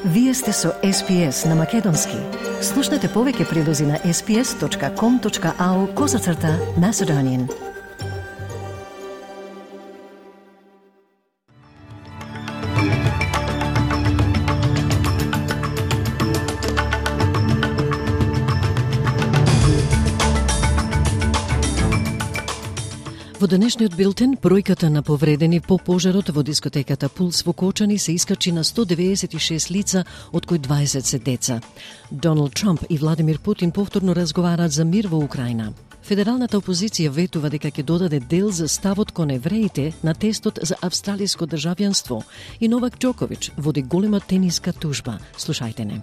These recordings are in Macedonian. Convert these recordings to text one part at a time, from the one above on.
Вие сте со SPS на Македонски. Слушнете повеќе прилози на sps.com.au/Macedonian. Во денешниот билтен, бројката на повредени по пожарот во дискотеката Пулс во Кочани се искачи на 196 лица, од кои 20 се деца. Доналд Трамп и Владимир Путин повторно разговараат за мир во Украина. Федералната опозиција ветува дека ќе додаде дел за ставот кон евреите на тестот за австралиско државјанство и Новак Џокович води голема тениска тужба. Слушајте не.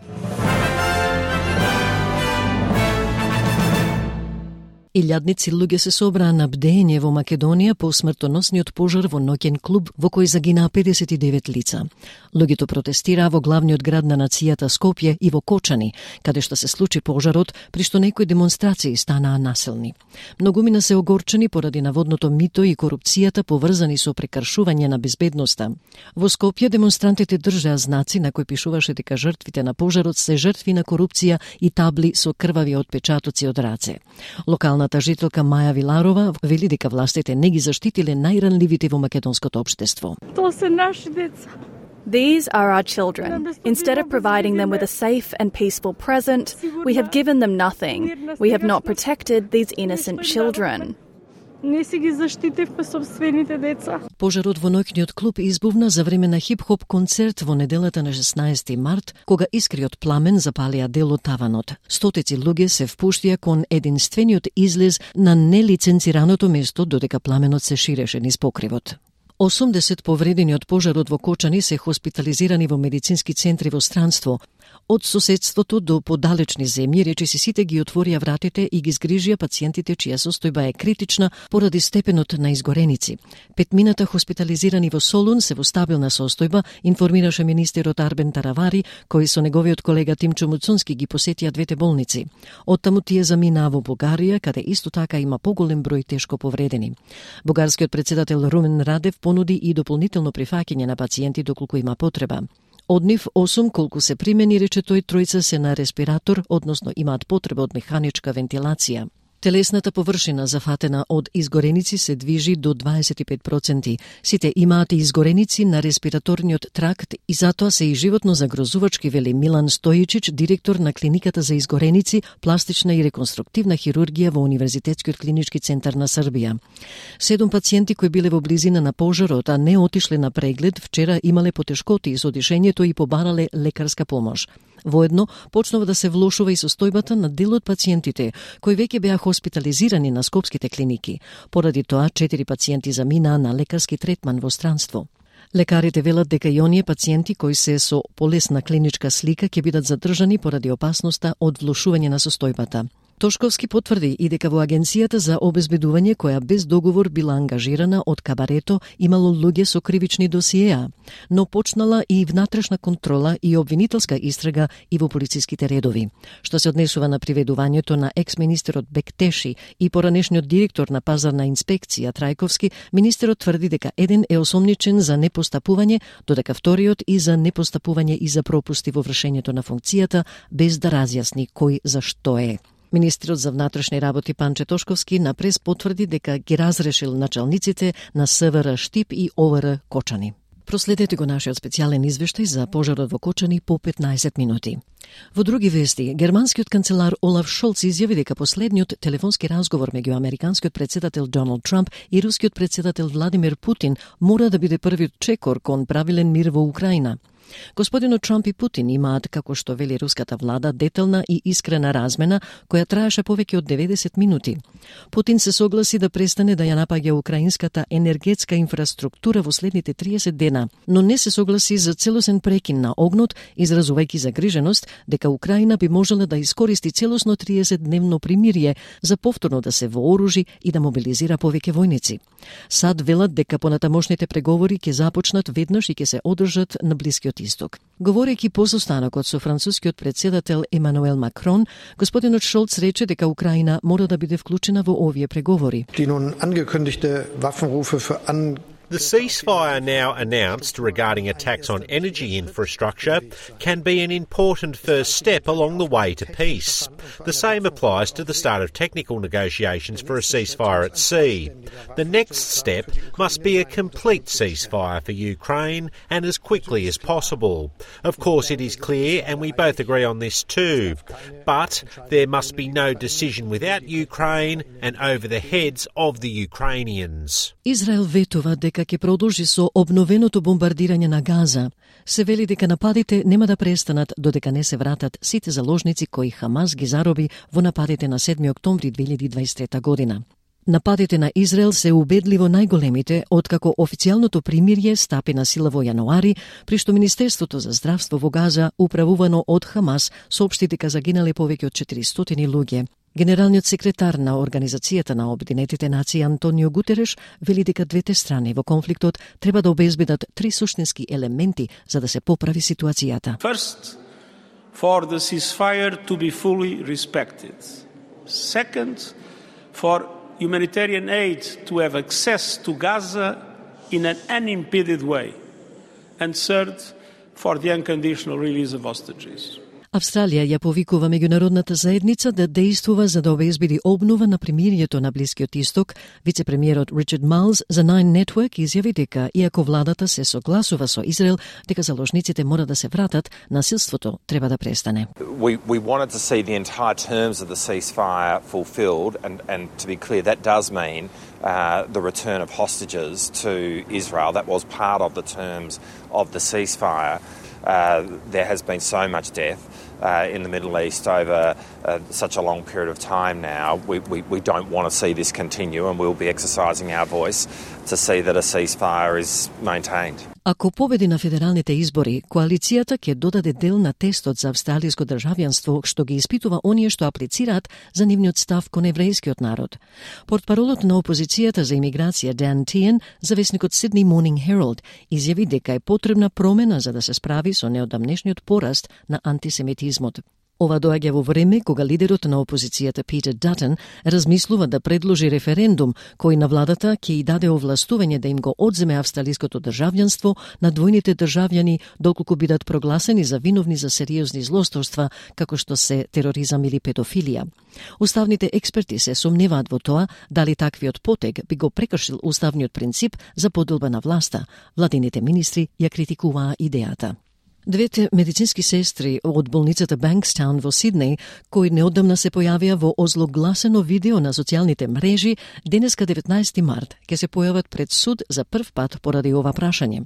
Илјадници луѓе се собраа на бдење во Македонија по смртоносниот пожар во ноќен клуб во кој загинаа 59 лица. Луѓето протестираа во главниот град на нацијата Скопје и во Кочани, каде што се случи пожарот, при што некои демонстрации станаа насилни. Многумина се огорчени поради наводното мито и корупцијата поврзани со прекршување на безбедноста. Во Скопје демонстрантите држаа знаци на кои пишуваше дека жртвите на пожарот се жртви на корупција и табли со крвави отпечатоци од раце. Локалната жителка Маја Виларова вели дека властите не ги заштитиле најранливите во македонското општество. Тоа се наши деца. These are our children. Instead of providing them with a safe and peaceful present, we have given them nothing. We have not protected these innocent children. Не си ги заштитевме собствените деца. Пожарот во ноќниот клуб избувна за време на хип-хоп концерт во неделата на 16 март, кога искриот пламен запалија дел од таванот. Стотици луѓе се впуштија кон единствениот излез на нелиценцираното место, додека пламенот се ширеше низ покривот. 80 повредени од пожарот во Кочани се хоспитализирани во медицински центри во странство. Од соседството до подалечни земји речиси сите ги отворија вратите и ги згрижија пациентите чија состојба е критична поради степенот на изгореници. Петмината хоспитализирани во Солун се во стабилна состојба, информираше министерот Арбен Таравари, кој со неговиот колега Тимчо Муцунски ги посетија двете болници. Оттаму тие заминаа во Бугарија, каде исто така има поголем број тешко повредени. Бугарскиот председател Румен Радев понуди и дополнително прифаќање на пациенти доколку има потреба. Од нив 8 колку се примени, рече тој, тројца се на респиратор, односно имаат потреба од механичка вентилација. Телесната површина зафатена од изгореници се движи до 25%. Сите имаат изгореници на респираторниот тракт и затоа се и животно загрозувачки, вели Милан Стојичич, директор на клиниката за изгореници, пластична и реконструктивна хирургија во Универзитетскиот клинички центар на Србија. 7 пациенти кои биле во близина на пожарот, а не отишле на преглед, вчера имале потешкоти со дишењето и побарале лекарска помош. Воедно, почнува да се влошува и состојбата на дел од пациентите, кои веќе беа хоспитализирани на скопските клиники. Поради тоа, 4 пациенти заминаа на лекарски третман во странство. Лекарите велат дека и оние пациенти кои се со полесна клиничка слика ќе бидат задржани поради опасноста од влошување на состојбата. Тошковски потврди и дека во агенцијата за обезбедување, која без договор била ангажирана од Кабарето, имало луѓе со кривични досиеа, но почнала и внатрешна контрола и обвинителска истрага и во полициските редови. Што се однесува на приведувањето на екс-министерот Бектеши и поранешниот директор на пазарна инспекција Трајковски, министерот тврди дека еден е осомничен за непостапување, додека вториот и за непостапување и за пропусти во вршењето на функцијата, без да разјасни кој за што е. Министерот за внатрешни работи Панче Тошковски на прес потврди дека ги разрешил началниците на СВР Штип и ОВР Кочани. Проследете го нашиот специјален извештај за пожарот во Кочани по 15 минути. Во други вести, германскиот канцелар Олаф Шолц изјави дека последниот телефонски разговор меѓу американскиот председател Доналд Трамп и рускиот председател Владимир Путин мора да биде првиот чекор кон правилен мир во Украина. Господинот Трамп и Путин имаат, како што вели руската влада, детална и искрена размена која траеше повеќе од 90 минути. Путин се согласи да престане да ја напаѓа украинската енергетска инфраструктура во следните 30 дена, но не се согласи за целосен прекин на огнот, изразувајќи загриженост дека Украина би можела да искористи целосно 30-дневно примирие за повторно да се вооружи и да мобилизира повеќе војници. САД велат дека понатамошните преговори ќе започнат веднаш и ќе се одржат на Блискиот Исток. Говорејќи по состанокот со францускиот председател Емануел Макрон, господинот Шолц рече дека Украина мора да биде вклучена во овие преговори. Die nun angekündigte Waffenrufe für The ceasefire now announced regarding attacks on energy infrastructure can be an important first step along the way to peace. The same applies to the start of technical negotiations for a ceasefire at sea. The next step must be a complete ceasefire for Ukraine and as quickly as possible. Of course, it is clear, and we both agree on this too, but there must be no decision without Ukraine and over the heads of the Ukrainians. Израел ветува дека ќе продолжи со обновеното бомбардирање на Газа. Се вели дека нападите нема да престанат додека не се вратат сите заложници кои Хамас ги зароби во нападите на 7 октомври 2023 година. Нападите на Израел се убедливо најголемите откако официјалното примирје стапи на сила во јануари, при што Министерството за здравство во Газа, управувано од Хамас, соопшти дека загинале повеќе од 400 луѓе. Генералниот секретар на Организацијата на Обединетите нации Антонио Гутереш вели дека двете страни во конфликтот треба да обезбедат 3 суштински елементи за да се поправи ситуацијата. First, for the ceasefire to be fully respected. Second, for humanitarian aid to have access to Gaza in an unimpeded way. And third, for the unconditional release of hostages. Австралија ја повикува меѓународната заедница да действува за да обезбеди обнова на примирието на Блискиот Исток. Вице-премиерот Ричард Майлс за Nine Network изјави дека, иако владата се согласува со Израел дека заложниците мора да се вратат, насилството треба да престане. We wanted to see the entire terms of the ceasefire fulfilled, and to be clear, that does mean the return of hostages to Israel. That was part of the terms of the ceasefire. There has been so much death in the Middle East over such a long period of time now. We don't want to see this continue, and we'll be exercising our voice to see that a ceasefire is maintained. Ако победи на федералните избори, коалицијата ќе додаде дел на тестот за австралиско државјанство што ги испитува оние што аплицираат за нивниот став кон еврејскиот народ. Портпаролот на опозицијата за имиграција Дан Тиен за весникот Sydney Morning Herald изјави дека е потребна промена за да се справи со неодамнешниот пораст на антисемитизмот. Ова доаѓа во време кога лидерот на опозицијата Питер Датон размислува да предложи референдум кој на владата ќе и даде овластување да им го одземе австралиското државјанство на двојните државјани доколку бидат прогласени за виновни за сериозни злосторства како што се тероризам или педофилија. Уставните експерти се сомневаат во тоа дали таквиот потег би го прекршил уставниот принцип за поделба на власта. Владините министри ја критикуваа идејата. Двете медицински сестри од болницата Bankstown во Сиднеј, кои неодамна се појавија во озлогласено видео на социјалните мрежи, денеска 19 март ќе се појават пред суд за прв пат поради ова прашање.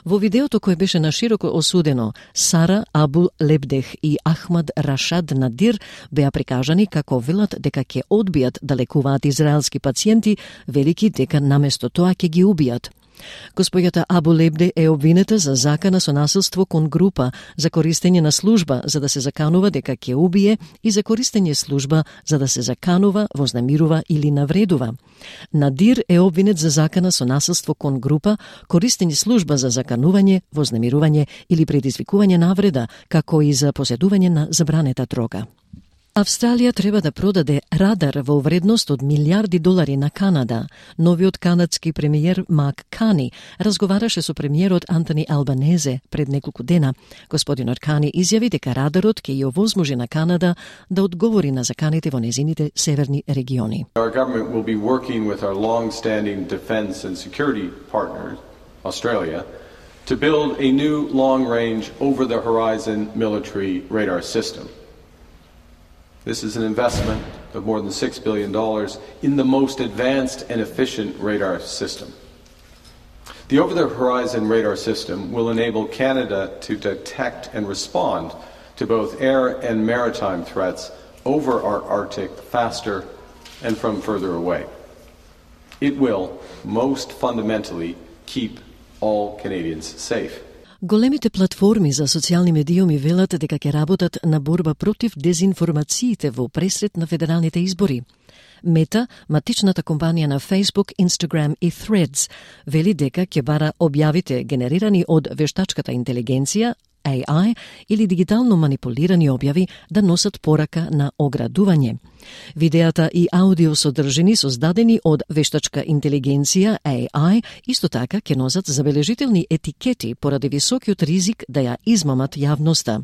Во видеото кое беше нашироко осудено, Сара Абу Лебдех и Ахмад Рашад Надир беа прикажани како велат дека ќе одбијат да лекуваат израелски пациенти, велики дека наместо тоа ќе ги убијат. Господјата Абу Лебде е обвинета за закана со насилство кон група, за користење на служба за да се заканува дека ќе убие и за користење служба за да се заканува, вознемирува или навредува. Надир е обвинет за закана со насилство кон група, користење служба за заканување, вознемирување или предизвикување навреда, како и за поседување на забранета дрога. Австралија треба да продаде радар во вредност од милиарди долари на Канада. Новиот канадски премиер Мак Кани разговараше со премиерот Антони Албанезе пред неколку дена. Господинот Кани изјави дека радарот ќе ја овозможи на Канада да одговори на заканите во незините северни региони. Our government will be working with our long-standing defense and security partner, Australia, to build a new long-range over-the-horizon military radar system. This is an investment of more than $6 billion in the most advanced and efficient radar system. The over-the-horizon radar system will enable Canada to detect and respond to both air and maritime threats over our Arctic faster and from further away. It will, most fundamentally, keep all Canadians safe. Големите платформи за социјални медиуми велат дека ќе работат на борба против дезинформациите во пресред на федералните избори. Мета, матичната компанија на Facebook, Instagram и Threads, вели дека ќе бара објавите генерирани од вештачката интелигенција AI или дигитално манипулирани објави да носат порака на оградување. Видеата и аудио содржини создадени од вештачка интелигенција AI исто така ќе носат забележителни етикети поради високиот ризик да ја измамат јавноста.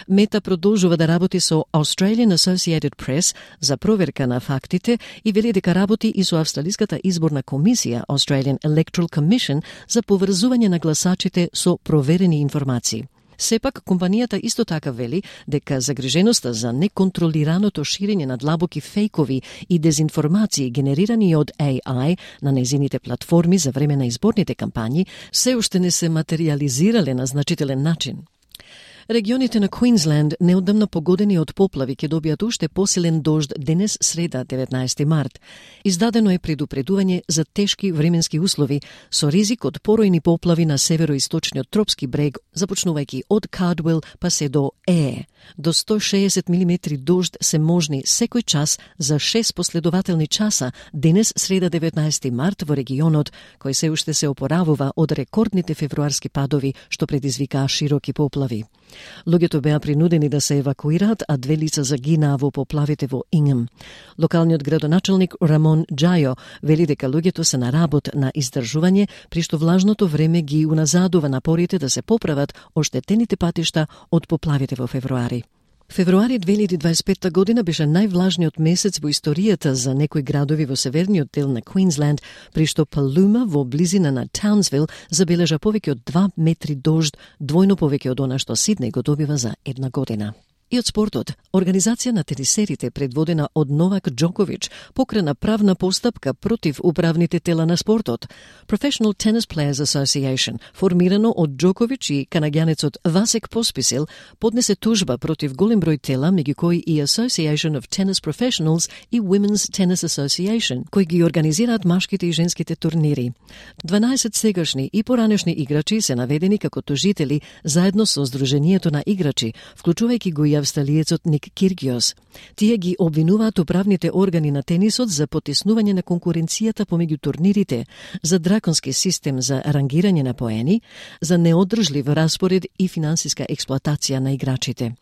Мета продолжува да работи со Australian Associated Press за проверка на фактите и вели дека работи и со Австралиската изборна комисија Australian Electoral Commission за поврзување на гласачите со проверени информации. Сепак, компанијата исто така вели дека загриженоста за неконтролираното ширење на длабоки фейкови и дезинформации генерирани од AI на незините платформи за време на изборните кампањи се уште не се материјализирале на значителен начин. Регионите на Квинсленд неодамна погодени од поплави ќе добијат уште посилен дожд денес среда 19 март. Издадено е предупредување за тешки временски услови со ризик од поројни поплави на североисточниот тропски брег, започнувајќи од Кардуел па се до До 160 мм дожд се можни секој час за 6 последователни часа денес среда 19 март во регионот, кој се уште се опоравува од рекордните февруарски падови што предизвикаа широки поплави. Луѓето беа принудени да се евакуираат, а 2 лица загинаа во поплавите во Ингем. Локалниот градоначелник Рамон Джајо вели дека луѓето се на работ на издржување, при што влажното време ги уназадува напорите да се поправат оштетените патишта од поплавите во февруари. Февруари 2025 година беше највлажниот месец во историјата за некои градови во северниот дел на Квинсленд, при што Палума во близина на Таунсвил забележа повеќе од 2 метри дожд, двојно повеќе од она што Сиднеј го добива за една година. И од спортот, организација на тенисерите предводена од Новак Џоковиќ покрена правна постапка против управните тела на спортот. Professional Tennis Players Association, формирано од Џоковиќ и канаѓанецот Васек Посписил, поднесе тужба против голем број тела, меѓу кои и Association of Tennis Professionals и Women's Tennis Association, кои ги организираат машките и женските турнири. 12 сегашни и поранешни играчи се наведени како тужители заедно со Сдруженијето на играчи, вклучувајќи го и австралиецот Ник Киргиос. Тие ги обвинуваат управните органи на тенисот за потиснување на конкуренцијата помеѓу турнирите, за драконски систем за рангирање на поени, за неодржлив распоред и финансиска експлоатација на играчите.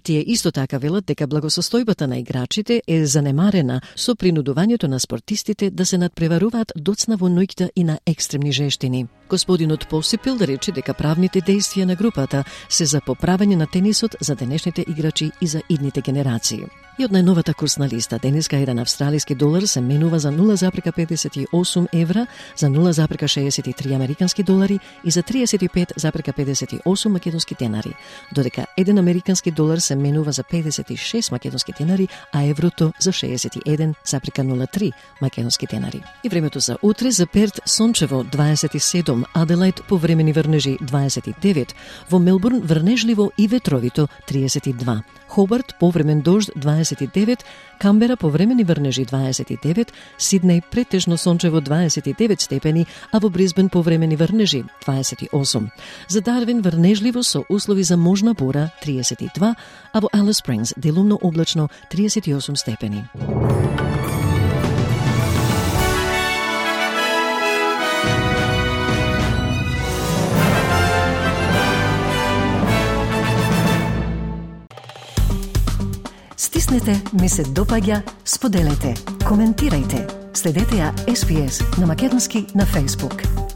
Тие исто така велат дека благосостојбата на играчите е занемарена со принудувањето на спортистите да се надпреваруваат доцна во ноќта и на екстремни жештини. Господинот Посипил рече дека правните действија на групата се за поправање на тенисот за денешните играчи и за идните генерации. И од најновата курсна листа, денеска еден австралиски долар се менува за 0,58 евра, за 0,63 американски долари и за 35,58 македонски денари, додека еден американски долар се менува за 56 македонски денари, а еврото за 61,03 македонски денари. И времето за утре: за Перт сончево 27, Аделајд повремени врнежи 29, во Мелбурн врнежливо и ветровито 32, Хобарт повремен дожд 29, Камбера повремени врнежи 29, Сиднеј претежно сончево 29 степени, а во Брисбен повремени врнежи 28. За Дарвин врнежливо со услови за можна бура 32, а во Алис Спрингс делумно облачно 38 степени. Стиснете, ми се допаѓа, споделете, коментирајте. Следете ја SPS на македонски на Facebook.